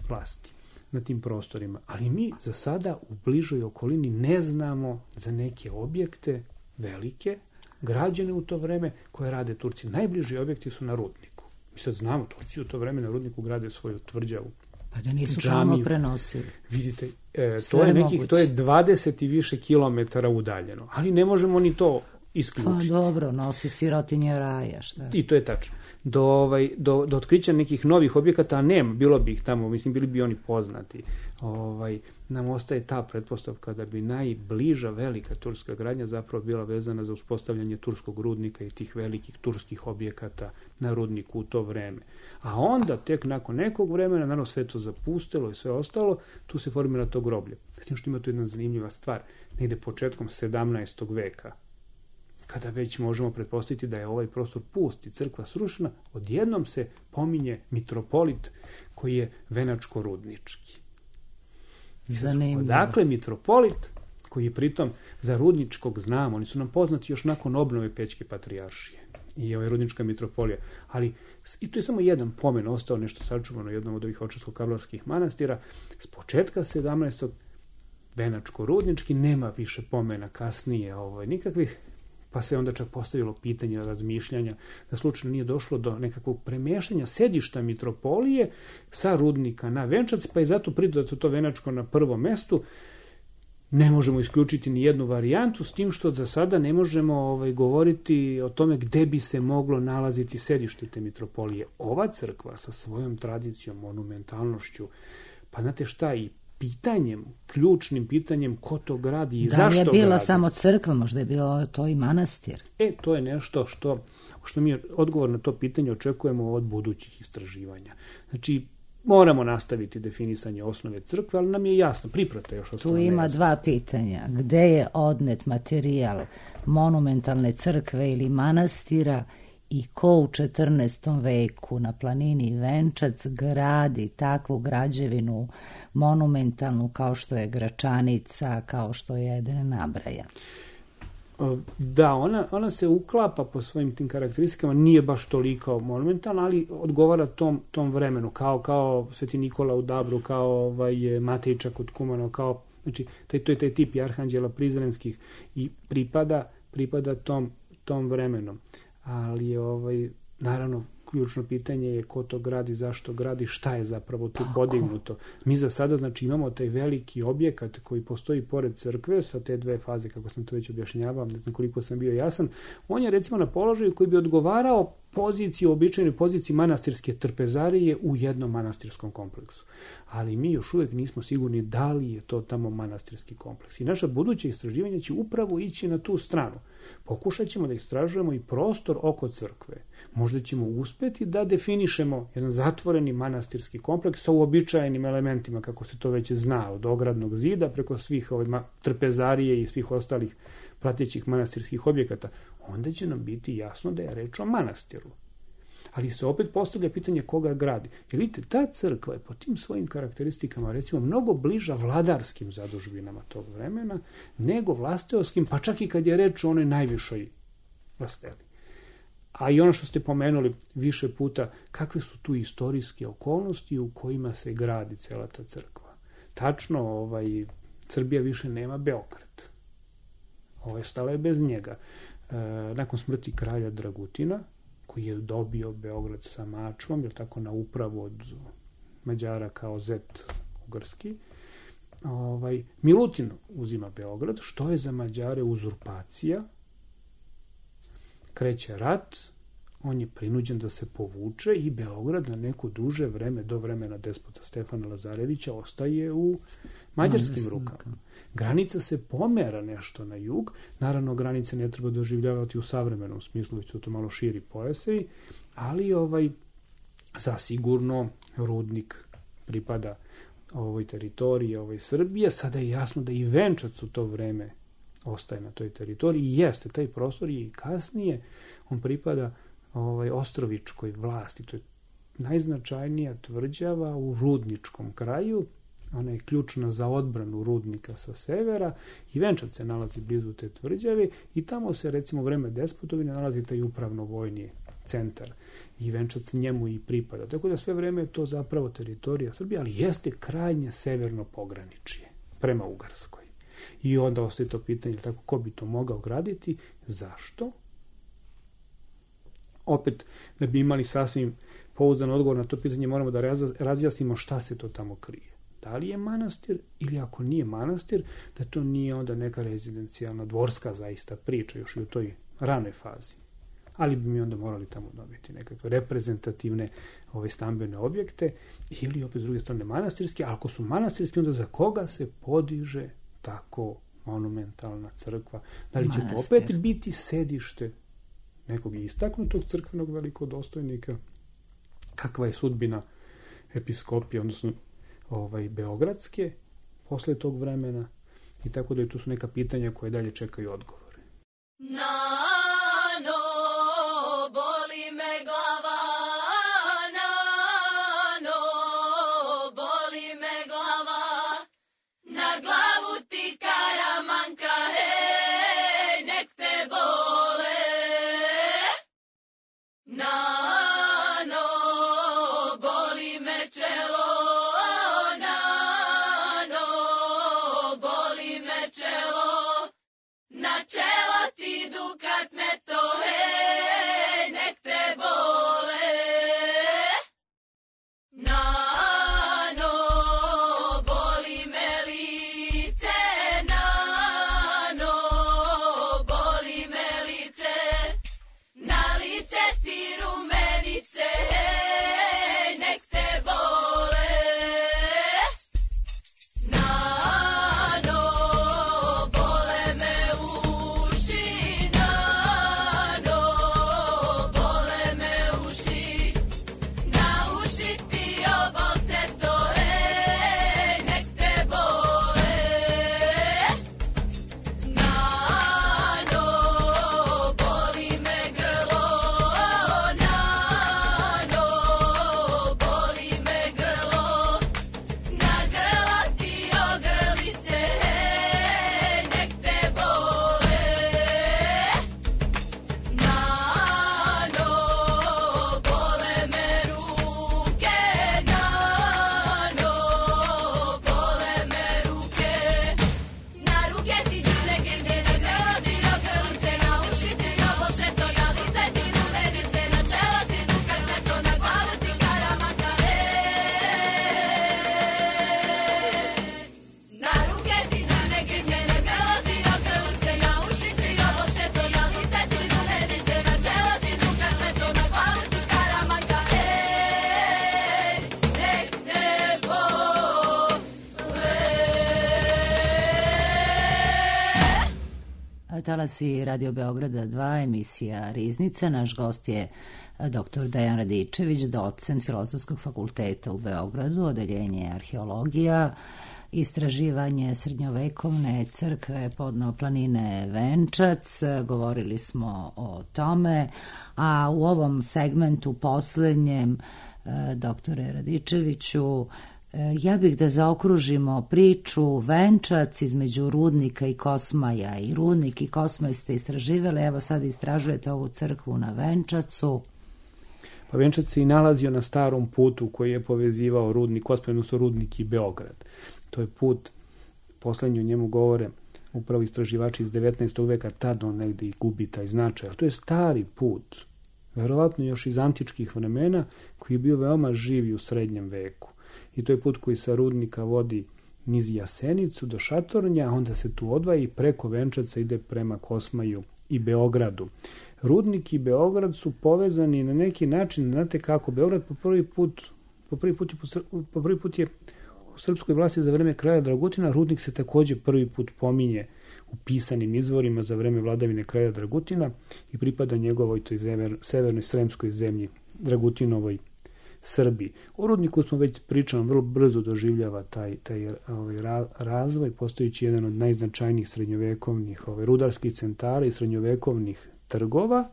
vlasti na tim prostorima. Ali mi za sada u bližoj okolini ne znamo za neke objekte velike, građene u to vreme koje rade Turci. Najbliži objekti su na Rudniku. Mi sad znamo, Turci u to vreme na Rudniku grade svoju tvrđavu. Pa da nisu tamo prenosili. Vidite, e, to je nekih, to je dvadeset i više kilometara udaljeno, ali ne možemo ni to isključiti. Pa dobro, nosi sirotinje raja, šta? I to je tačno. Do, ovaj, do, do otkrića nekih novih objekata nema, bilo bi ih tamo, mislim, bili bi oni poznati. Ovaj, nam ostaje ta pretpostavka da bi najbliža velika turska gradnja zapravo bila vezana za uspostavljanje turskog rudnika i tih velikih turskih objekata na rudniku u to vreme. A onda, tek nakon nekog vremena, naravno sve to zapustilo i sve ostalo, tu se formira to groblje. Znači što ima tu jedna zanimljiva stvar, negde početkom sedamnaestog veka, kada već možemo pretpostaviti da je ovaj prostor pust i crkva srušena, odjednom se pominje mitropolit koji je venačko-rudnički. Zanimljivo. Odakle mitropolit, koji je pritom za rudničkog znamo, oni su nam poznati još nakon obnove Pećke patrijaršije i ovaj rudnička mitropolija, ali i to je samo jedan pomen, ostao nešto sačuvano u jednom od ovih očarsko-kablarskih manastira, s početka sedamnaestog Venačko-Rudnički, nema više pomena kasnije ovaj, nikakvih, pa se onda čak postavilo pitanje razmišljanja da slučajno nije došlo do nekakvog premještanja sedišta mitropolije sa Rudnika na Venčac, pa je zato pridodato to Venačko na prvom mestu. Ne možemo isključiti ni jednu varijantu, s tim što za sada ne možemo ovaj, govoriti o tome gde bi se moglo nalaziti sedište te mitropolije. Ova crkva sa svojom tradicijom, monumentalnošću, pa znate šta, i pitanjem, ključnim pitanjem ko to gradi i da zašto gradi. Da je bila samo crkva, možda je bio to i manastir. E, to je nešto što, što mi odgovor na to pitanje očekujemo od budućih istraživanja. Znači, moramo nastaviti definisanje osnove crkve, ali nam je jasno, priprata još osnovne. Tu ima dva pitanja. Gde je odnet materijal monumentalne crkve ili manastira i ko u četrnaestom veku na planini Venčac gradi takvu građevinu monumentalnu kao što je Gračanica, kao što je jedan nabraja? Da, ona, ona se uklapa po svojim tim karakteristikama, nije baš toliko monumentalna, ali odgovara tom, tom vremenu, kao, kao Sveti Nikola u Dabru, kao ovaj, Matejča kod Kumano, kao, znači, taj, to je taj tip arhanđela prizrenskih i pripada, pripada tom, tom vremenu. Ali, ovaj, naravno, ključno pitanje je ko to gradi, zašto gradi, šta je zapravo tu podignuto. Mi za sada, znači, imamo taj veliki objekat koji postoji pored crkve sa te dve faze, kako sam to već objašnjavao, ne znam koliko sam bio jasan. On je, recimo, na položaju koji bi odgovarao poziciji, običajnoj poziciji manastirske trpezarije u jednom manastirskom kompleksu. Ali mi još uvijek nismo sigurni da li je to tamo manastirski kompleks. I naša buduća istraživanja će upravo ići na tu stranu. Pokušat ćemo da istražujemo i prostor oko crkve. Možda ćemo uspeti da definišemo jedan zatvoreni manastirski kompleks sa uobičajenim elementima, kako se to već zna, od ogradnog zida preko svih ovaj, trpezarije i svih ostalih pratećih manastirskih objekata. Onda će nam biti jasno da je reč o manastiru. Ali se opet postavlja pitanje koga gradi. Jer vidite, ta crkva je po tim svojim karakteristikama, recimo, mnogo bliža vladarskim zadužbinama tog vremena nego vlasteoskim, pa čak i kad je reč o onoj najvišoj vlasteli. A i ono što ste pomenuli više puta, kakve su tu istorijske okolnosti u kojima se gradi cela ta crkva. Tačno, ovaj, Srbija više nema Beograd. Ovo stala je bez njega. E, nakon smrti kralja Dragutina, koji je dobio Beograd sa Mačvom, jer tako na upravu od Mađara kao zet ugarski, ovaj, Milutin uzima Beograd, što je za Mađare uzurpacija, kreće rat, on je prinuđen da se povuče i Beograd na neko duže vreme, do vremena despota Stefana Lazarevića, ostaje u mađarskim rukama. Granica se pomera nešto na jug, naravno granice ne treba doživljavati u savremenom smislu, već su to malo širi pojasevi, ali ovaj, zasigurno Rudnik pripada ovoj teritoriji, ovoj Srbije. Sada je jasno da i Venčac u to vreme ostaje na toj teritoriji i jeste, taj prostor je i kasnije, on pripada ovaj, Ostrovičkoj vlasti, to je najznačajnija tvrđava u rudničkom kraju, ona je ključna za odbranu Rudnika sa severa i Venčac se nalazi blizu te tvrđave i tamo se, recimo, u vreme Despotovine nalazi taj upravno-vojni centar i Venčac njemu i pripada. Tako da sve vreme je to zapravo teritorija Srbije, ali jeste krajnje severno pograničje prema Ugarskoj. I onda ostaje to pitanje, tako, ko bi to mogao graditi, zašto? Opet, da bi imali sasvim pouzdan odgovor na to pitanje, moramo da razjasnimo šta se to tamo krije. Da li je manastir ili ako nije manastir, da to nije onda neka rezidencijalna dvorska zaista priča još i u toj ranoj fazi. Ali bi mi onda morali tamo dobiti nekakve reprezentativne ove stambene objekte ili opet s druge strane manastirski, a ako su manastirski, onda za koga se podiže tako monumentalna crkva? Da li će Manastir. To opet biti sedište nekog istaknutog crkvenog velikodostojnika? Kakva je sudbina episkopije, odnosno ovaj, beogradske posle tog vremena? I tako da je tu su neka pitanja koje dalje čekaju odgovore. Nano, boli me glava, nano, boli me glava, na glavu ti karamanka, hej, nek te bole. Nano, boli me čelo, nano, boli na čelo ti dukat me to, hej, nek te bole. Nano, boli me lice, nano, boli me lice, na lice ti rumenice, hej, nek te bole. Nano, bole me uši, nano, bole me uši, na uši ti obolce to, hej, nek te bole. Nano, boli me grlo, nano, boli me grlo, na grlo ti ogrlice, hej, nek te bole. Nano, bole me ruke, nano, bole me ruke, na ruke ti đune gende, na grlo ti ogrlice, na uši ti obolce to, na lice ti rumenice, na čelo ti dukat me to, na glavu ti karamata, hej. Na ruke ti đune gende, na grlo ti ogrlice, na uši ti obolce to, na lice ti rumenice, na čelo ti dukat me to, na glavu ti karamata, hej, nek te bole. Talasi Radio Beograda dva, emisija Riznica. Naš gost je doktor Dejan Radičević, docent Filozofskog fakulteta u Beogradu, odeljenje arheologija, istraživanje srednjovekovne crkve podno planine Venčac. Govorili smo o tome, a u ovom segmentu poslednjem, doktore Radičeviću, ja bih da zaokružimo priču Venčac između Rudnika i Kosmaja. I Rudnik i Kosmaj ste istraživali, evo sad istražujete ovu crkvu na Venčacu. Pa Venčac se i nalazio na starom putu koji je povezivao Rudnik, Kosmaj, odnosno Rudnik i Beograd. To je put, poslednji o njemu govore upravo istraživači iz devetnaestog veka, tad on negde i gubi taj značaj. To je stari put, verovatno još iz antičkih vremena, koji je bio veoma živ u srednjem veku. I to je put koji sa Rudnika vodi niz Jasenicu do Šatornja, onda se tu odvaja i preko Venčaca ide prema Kosmaju i Beogradu. Rudnik i Beograd su povezani na neki način, znate kako, Beograd po prvi put, po prvi put, je, po prvi put je u srpskoj vlasti za vreme kralja Dragutina, Rudnik se takođe prvi put pominje u pisanim izvorima za vreme vladavine kralja Dragutina i pripada njegovoj toj zever, severnoj sremskoj zemlji, Dragutinovoj Srbiji. U Rudniku smo već pričali, vrlo brzo doživljava taj, taj ovaj, razvoj, postojići jedan od najznačajnijih srednjovekovnih ovaj, rudarskih centara i srednjovekovnih trgova,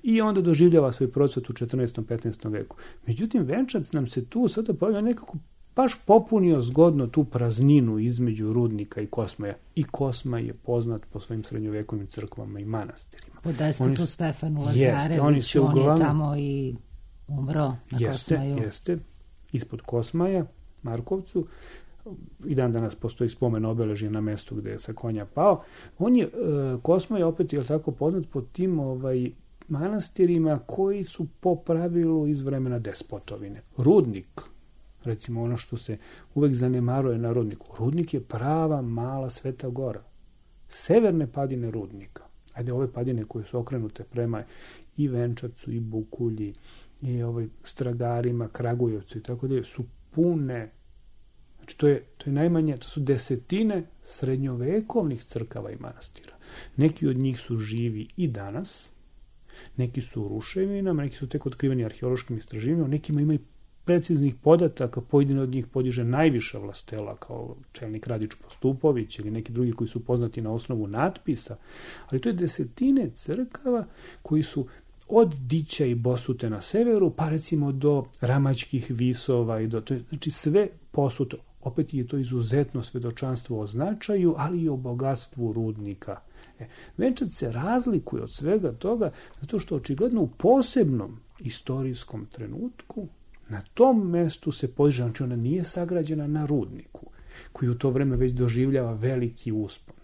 i onda doživljava svoj procvat u četrnaestom petnaestom veku. Međutim, Venčac nam se tu sada pojavlja nekako baš popunio zgodno tu prazninu između Rudnika i Kosmaja. I Kosmaj je poznat po svojim srednjovekovnim crkvama i manastirima. Po despotu Oni, Stefanu jeste, Lazareviću, oni se on uglavnom, je tamo i umro na jeste, Kosmaju. Jeste, ispod Kosmaja, Markovcu, i dan danas postoji spomen obeležje na mestu gde je sa konja pao. On je, e, Kosmaj opet je tako poznat po tim ovaj, manastirima koji su po pravilu iz vremena despotovine. Rudnik, recimo ono što se uvek zanemaruje na Rudniku, Rudnik je prava mala Sveta Gora. Severne padine Rudnika, ajde ove padine koje su okrenute prema i Venčacu, i Bukulji, i ovaj Stragarima, Kragujevcu i tako dalje, su pune. Znači to je, to je najmanje, to su desetine srednjovekovnih crkava i manastira. Neki od njih su živi i danas, neki su u ruševinama, neki su tek otkriveni arheološkim istraživanjima, nekima ima i preciznih podataka, pojedine od njih podiže najviša vlastela kao čelnik Radić Postupović ili neki drugi koji su poznati na osnovu natpisa, ali to je desetine crkava koji su od Dića i Bosute na severu, pa recimo do Ramačkih visova i do, to je, znači sve posuto. Opet je to izuzetno svedočanstvo o značaju, ali i o bogatstvu Rudnika. E, Venčac se razlikuje od svega toga zato što očigledno u posebnom istorijskom trenutku na tom mestu se podiže, znači ona nije sagrađena na Rudniku, koji u to vreme već doživljava veliki uspon.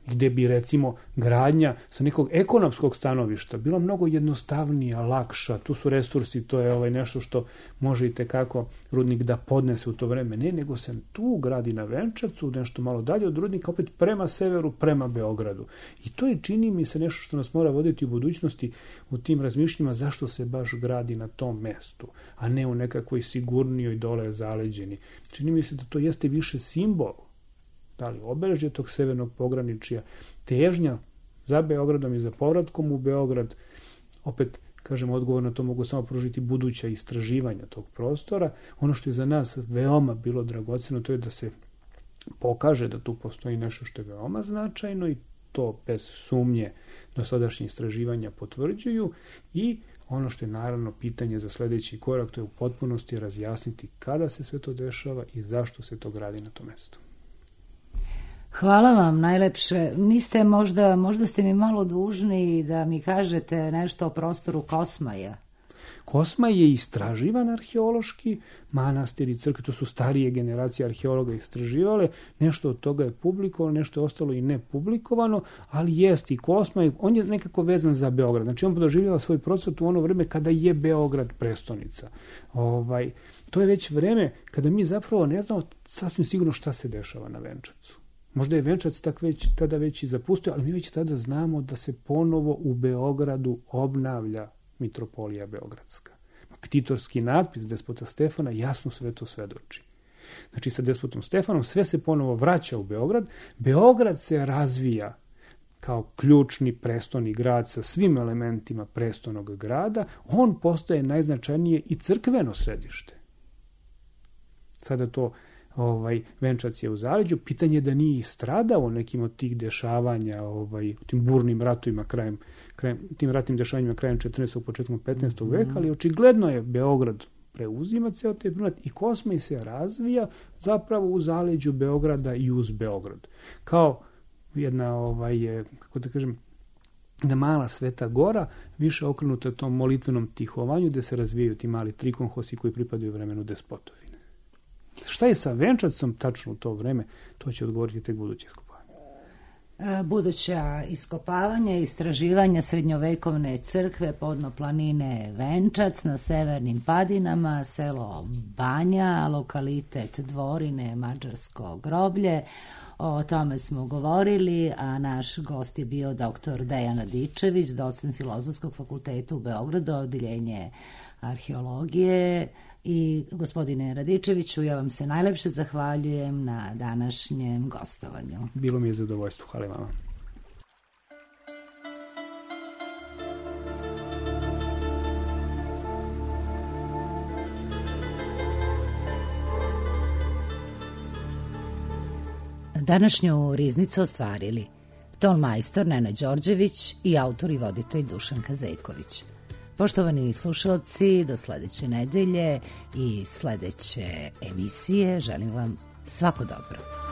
gde bi recimo gradnja sa nekog ekonomskog stanovišta bila mnogo jednostavnija, lakša, tu su resursi, to je ovaj nešto što može i tekako rudnik da podnese u to vreme. Ne, nego se tu gradi na Venčacu, nešto malo dalje od rudnika, opet prema severu, prema Beogradu. I to je, čini mi se, nešto što nas mora voditi u budućnosti u tim razmišljima zašto se baš gradi na tom mestu, a ne u nekakvoj sigurnijoj dole zaleđeni. Čini mi se da to jeste više simbol, da li obeležje tog severnog pograničja, težnja za Beogradom i za povratkom u Beograd. Opet, kažem, odgovor na to mogu samo pružiti buduća istraživanja tog prostora. Ono što je za nas veoma bilo dragoceno, to je da se pokaže da tu postoji nešto što je veoma značajno i to bez sumnje dosadašnje istraživanja potvrđuju, i ono što je naravno pitanje za sledeći korak, to je u potpunosti razjasniti kada se sve to dešava i zašto se to gradi na tom mestu. Hvala vam najlepše. Niste možda, možda ste mi malo dužni da mi kažete nešto o prostoru Kosmaja. Kosmaj je istraživan arheološki, manastir i crkve, to su starije generacije arheologa istraživale, nešto od toga je publikovano, nešto je ostalo i nepublikovano, ali jest i Kosmaj, on je nekako vezan za Beograd, znači on doživljava svoj procvat u ono vreme kada je Beograd prestonica. Ovaj, to je već vreme kada mi zapravo ne znamo sasvim sigurno šta se dešava na Venčacu. Možda je Venčac tak već, tada već i zapustio, ali mi već tada znamo da se ponovo u Beogradu obnavlja mitropolija Beogradska. Ktitorski natpis despota Stefana jasno sve to svedoči. Znači, sa despotom Stefanom sve se ponovo vraća u Beograd. Beograd se razvija kao ključni prestoni grad sa svim elementima prestonog grada. On postaje najznačajnije i crkveno središte. Sada to Ovaj, Venčac je u zaleđu, pitanje je da nije stradao nekim od tih dešavanja, ovaj, tim burnim ratovima krajem, krajem, tim ratnim dešavanjima krajem četrnaestog. početkom petnaestog. veka, ali očigledno je Beograd preuzima ceo taj primat i Kosmaj se razvija zapravo u zaleđu Beograda i uz Beograd. Kao jedna, ovaj, kako da kažem, jedna mala Sveta Gora, više okrenuta tom molitvenom tihovanju, gde se razvijaju ti mali trikonhosi koji pripadaju vremenu despotovi. Šta je sa Venčacom tačno u to vreme, to će odgovoriti tek buduće iskopavanje. Buduća iskopavanja i istraživanja srednjovekovne crkve podno planine Venčac na severnim padinama, selo Banja, lokalitet Dvorine, Mađarsko groblje. O tome smo govorili, a naš gost je bio doktor Dejan Radičević, docent Filozofskog fakulteta u Beogradu, odeljenje arheologije. I gospodine Radičeviću, ja vam se najlepše zahvaljujem na današnjem gostovanju. Bilo mi je zadovoljstvo. Hvala vama. Današnju riznicu ostvarili ton majstor Nenad Đorđević i autor i voditelj Dušan Kazejković. Poštovani slušalci, do sledeće nedelje i sledeće emisije želim vam svako dobro.